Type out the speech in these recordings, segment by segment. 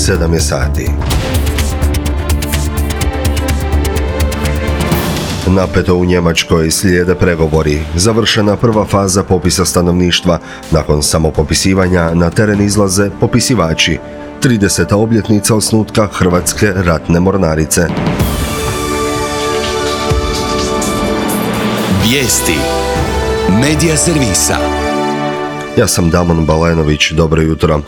7 je sati. Napeto u Njemačkoj slijede pregovori. Završena prva faza popisa stanovništva. Nakon samopopisivanja na teren izlaze popisivači. 30. obljetnica osnutka Hrvatske ratne mornarice. Vijesti Medija servisa. Ja sam Damon Balenović, dobro jutro.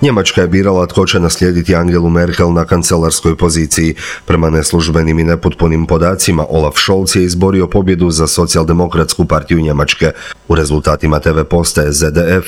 Njemačka je birala tko će naslijediti Angelu Merkel na kancelarskoj poziciji. Prema neslužbenim i nepotpunim podacima, Olaf Scholz je izborio pobjedu za socijaldemokratsku partiju Njemačke. U rezultatima TV postaje ZDF,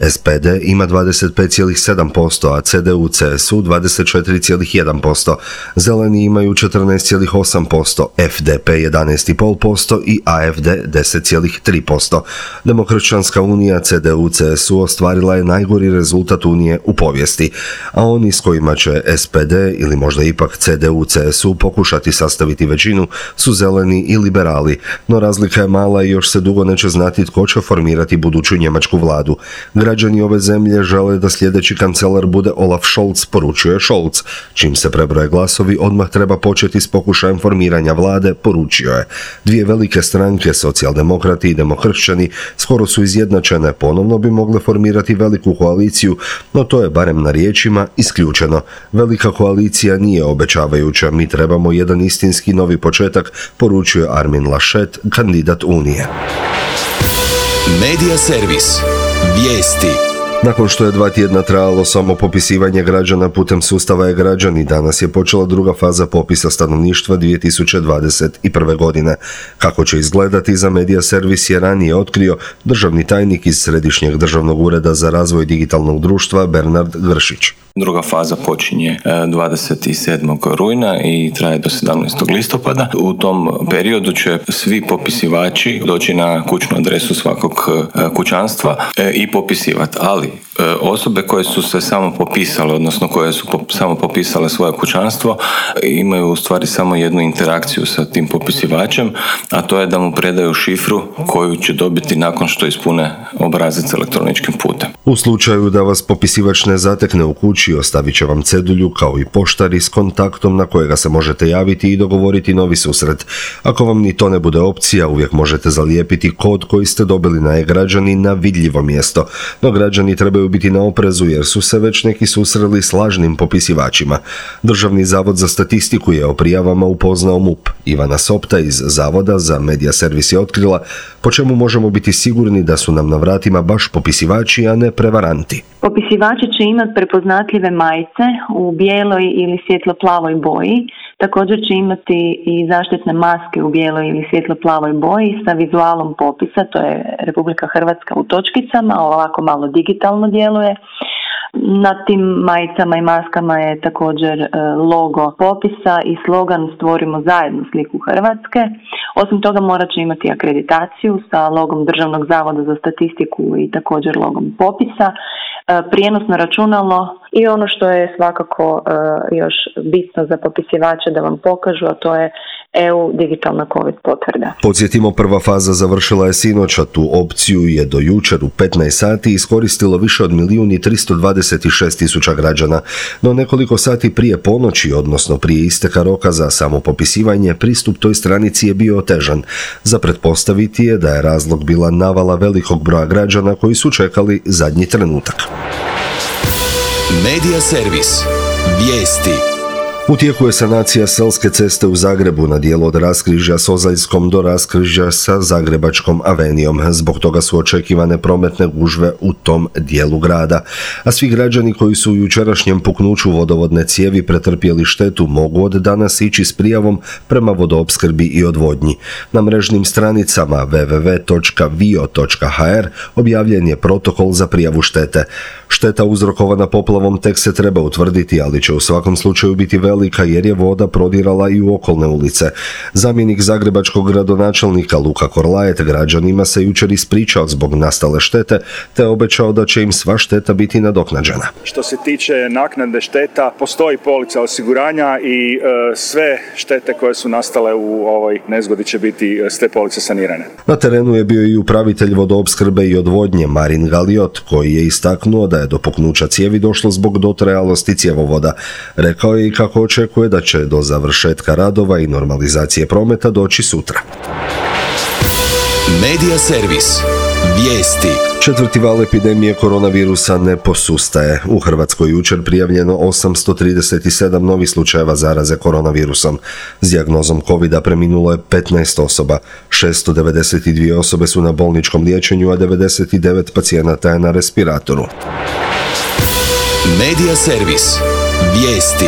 SPD ima 25,7%, a CDU-CSU 24,1%. Zeleni imaju 14,8%, FDP 11,5% i AFD 10,3%. Demokršćanska unija CDU-CSU ostvarila je najgori rezultat Unije u povijesti, a oni s kojima će SPD ili možda ipak CDU-CSU pokušati sastaviti većinu su zeleni i liberali, no razlika je mala i još se dugo neće znati tko će formirati buduću njemačku vladu. Građani ove zemlje žele da sljedeći kancelar bude Olaf Scholz, poručio je Scholz. Čim se prebroje glasovi, odmah treba početi s pokušajem formiranja vlade, poručio je. Dvije velike stranke, socijaldemokrati i demokršćani, skoro su izjednačene, ponovno bi mogle formirati veliku koaliciju, no to je barem na riječima isključeno. Velika koalicija nije obećavajuća, mi trebamo jedan istinski novi početak, poručuje Armin Laschet, kandidat Unije. Medija servis. Vijesti. Nakon što je 2 tjedna trajalo samopopisivanje građana putem sustava e-građani, danas je počela druga faza popisa stanovništva 2021. godine. Kako će izgledati, za Medija servis je ranije otkrio državni tajnik iz Središnjeg državnog ureda za razvoj digitalnog društva Bernard Gršić. Druga faza počinje 27. rujna i traje do 17. listopada. U tom periodu će svi popisivači doći na kućnu adresu svakog kućanstva i popisivati, ali osobe koje su se samo popisale, odnosno koje su samo popisale svoje kućanstvo, imaju u stvari samo jednu interakciju sa tim popisivačem, a to je da mu predaju šifru koju će dobiti nakon što ispune obrazac elektroničkim putem. U slučaju da vas popisivač ne zatekne u kući, ostavit će vam cedulju kao i poštari s kontaktom na kojega se možete javiti i dogovoriti novi susret. Ako vam ni to ne bude opcija, uvijek možete zalijepiti kod koji ste dobili na e-građani na vidljivo mjesto. No građani trebaju biti na oprezu jer su se već neki susreli s lažnim popisivačima. Državni zavod za statistiku je o prijavama upoznao MUP. Ivana Sopta iz Zavoda za Medija servis je otkrila po čemu možemo biti sigurni da su nam na vratima baš popisivači, a ne prevaranti. Popisivači će imati prepoznatljive majice u bijeloj ili svjetlo-plavoj boji. Također će imati i zaštitne maske u bijeloj ili svjetlo-plavoj boji sa vizualom popisa, to je Republika Hrvatska u točkicama, ovako malo digitalno djeluje. Na tim majicama i maskama je također logo popisa i slogan Stvorimo zajedno sliku Hrvatske. Osim toga morat će imati akreditaciju sa logom Državnog zavoda za statistiku i također logom popisa, prijenosno računalo i ono što je svakako još bitno za popisivače da vam pokažu, a to je EU digitalna COVID potvrda. Podsjetimo, prva faza završila je sinoć, a tu opciju je do jučer u 15 sati iskoristilo više od 1.326.000 građana. No nekoliko sati prije ponoći, odnosno prije isteka roka za samopopisivanje, pristup toj stranici je bio otežan. Za pretpostaviti je da je razlog bila navala velikog broja građana koji su čekali zadnji trenutak. Medija servis. Vijesti. U tijeku je sanacija Selske ceste u Zagrebu na dijelu od raskrižja s Ozaljskom do raskrižja sa Zagrebačkom avenijom. Zbog toga su očekivane prometne gužve u tom dijelu grada. A svi građani koji su u jučerašnjem puknuću vodovodne cijevi pretrpjeli štetu mogu od danas ići s prijavom prema vodoopskrbi i odvodnji. Na mrežnim stranicama www.vio.hr objavljen je protokol za prijavu štete. Šteta uzrokovana poplavom tek se treba utvrditi, ali će u svakom slučaju biti velika prevelika jer je voda prodirala i u okolne ulice. Zamjenik zagrebačkog gradonačelnika Luka Korlajet građanima se jučer ispričao zbog nastale štete te obećao da će im sva šteta biti nadoknađena. Što se tiče naknade šteta, postoji polica osiguranja i sve štete koje su nastale u ovoj nezgodi će biti s te police sanirane. Na terenu je bio i upravitelj vodoopskrbe i odvodnje Marin Galiot, koji je istaknuo da je do puknuća cijevi došlo zbog dotrajalosti cjevovoda. Rekao je i kako očekuje da će do završetka radova i normalizacije prometa doći sutra. Medija servis. Vijesti. Četvrti val epidemije koronavirusa ne posustaje. U Hrvatskoj jučer prijavljeno 837 novih slučajeva zaraze koronavirusom. S dijagnozom covida preminulo je 15 osoba. 692 osobe su na bolničkom liječenju, a 99 pacijenata je na respiratoru. Medija servis. Vijesti.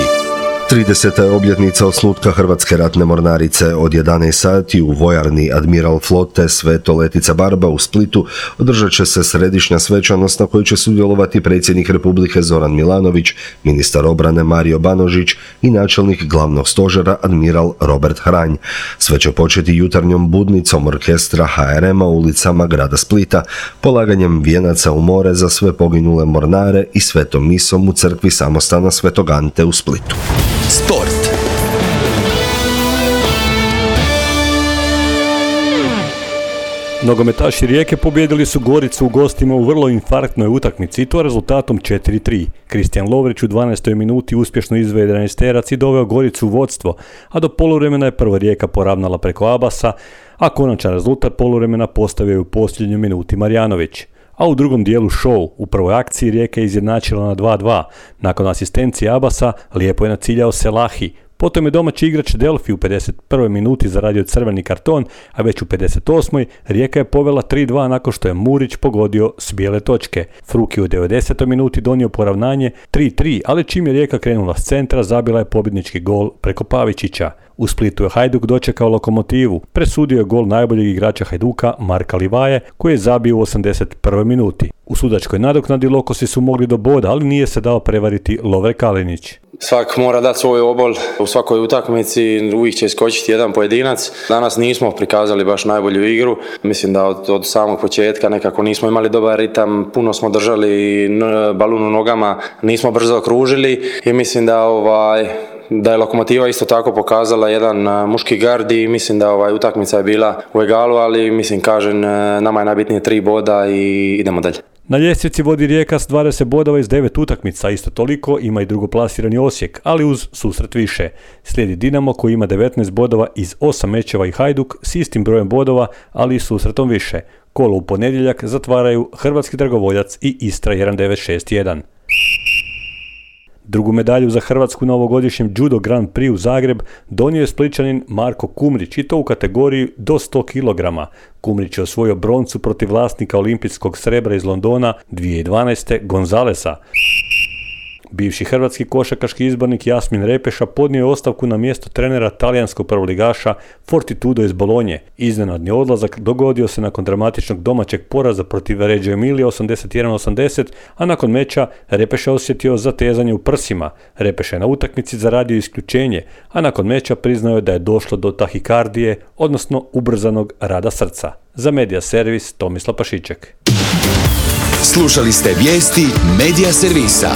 30. je obljetnica osnutka Hrvatske ratne mornarice. Od 11 sati u vojarni Admiral flote Sveto Letica Barba u Splitu održat će se središnja svečanost na kojoj će sudjelovati predsjednik Republike Zoran Milanović, ministar obrane Mario Banožić i načelnik glavnog stožera Admiral Robert Hranj. Sve će početi jutarnjom budnicom orkestra HRM-a u ulicama grada Splita, polaganjem vijenaca u more za sve poginule mornare i svetom misom u crkvi samostana Svetog Ante u Splitu. Sport. Nogometaši Rijeke pobijedili su Goricu u gostima u vrlo infarktnoj utakmici i to rezultatom 4-3. Kristijan Lovrić u 12. minuti uspješno izveo 11-terac i doveo Goricu u vodstvo, a do poluvremena je prva Rijeka poravnala preko Abasa, a konačan rezultat poluvremena postavio je u posljednjoj minuti Marjanović. A u drugom dijelu show, u prvoj akciji Rijeka je izjednačila na 2-2. Nakon asistencije Abasa, lijepo je naciljao Selahi. Potom je domaći igrač Delfi u 51. minuti zaradio crveni karton, a već u 58. Rijeka je povela 3-2 nakon što je Murić pogodio s bijele točke. Fruki u 90. minuti donio poravnanje 3-3, ali čim je Rijeka krenula s centra, zabila je pobjednički gol preko Pavičića. U Splitu je Hajduk dočekao Lokomotivu. Presudio je gol najboljeg igrača Hajduka Marka Livaje, koji je zabio u 81. minuti. U sudačkoj nadoknadi Lokosi su mogli do boda, ali nije se dao prevariti Lovre Kalinić. Svak mora dati svoj obol u svakoj utakmici, uvijek će iskočiti jedan pojedinac. Danas nismo prikazali baš najbolju igru. Mislim da od samog početka nekako nismo imali dobar ritam, puno smo držali balun u nogama, nismo brzo okružili i mislim da je Lokomotiva isto tako pokazala jedan muški gard i mislim da utakmica je bila u egalu, ali mislim nama je najbitnije 3 boda i idemo dalje. Na ljestvici vodi Rijeka s 20 bodova iz 9 utakmica, isto toliko ima i drugoplasirani Osijek, ali uz susret više. Slijedi Dinamo koji ima 19 bodova iz 8 mečeva i Hajduk s istim brojem bodova, ali i susretom više. Kolo u ponedjeljak zatvaraju Hrvatski Dragovoljac i Istra 1961. Drugu medalju za Hrvatsku na ovogodišnjem Judo Grand Prix u Zagreb donio je Splićanin Marko Kumrić i to u kategoriji do 100 kg. Kumrić je osvojio broncu protiv vlasnika olimpijskog srebra iz Londona 2012. Gonzalesa. Bivši hrvatski košarkaški izbornik Jasmin Repeša podnio je ostavku na mjesto trenera talijanskog prvoligaša Fortitudo iz Bolonje. Iznenadni odlazak dogodio se nakon dramatičnog domaćeg poraza protiv Reggio Emilia 81-80, a nakon meča Repeša osjetio zatezanje u prsima. Repeša je na utakmici zaradio isključenje, a nakon meča priznao je da je došlo do tahikardije, odnosno ubrzanog rada srca. Za Medija servis Tomislav Pašiček. Slušali ste vijesti Medija servisa.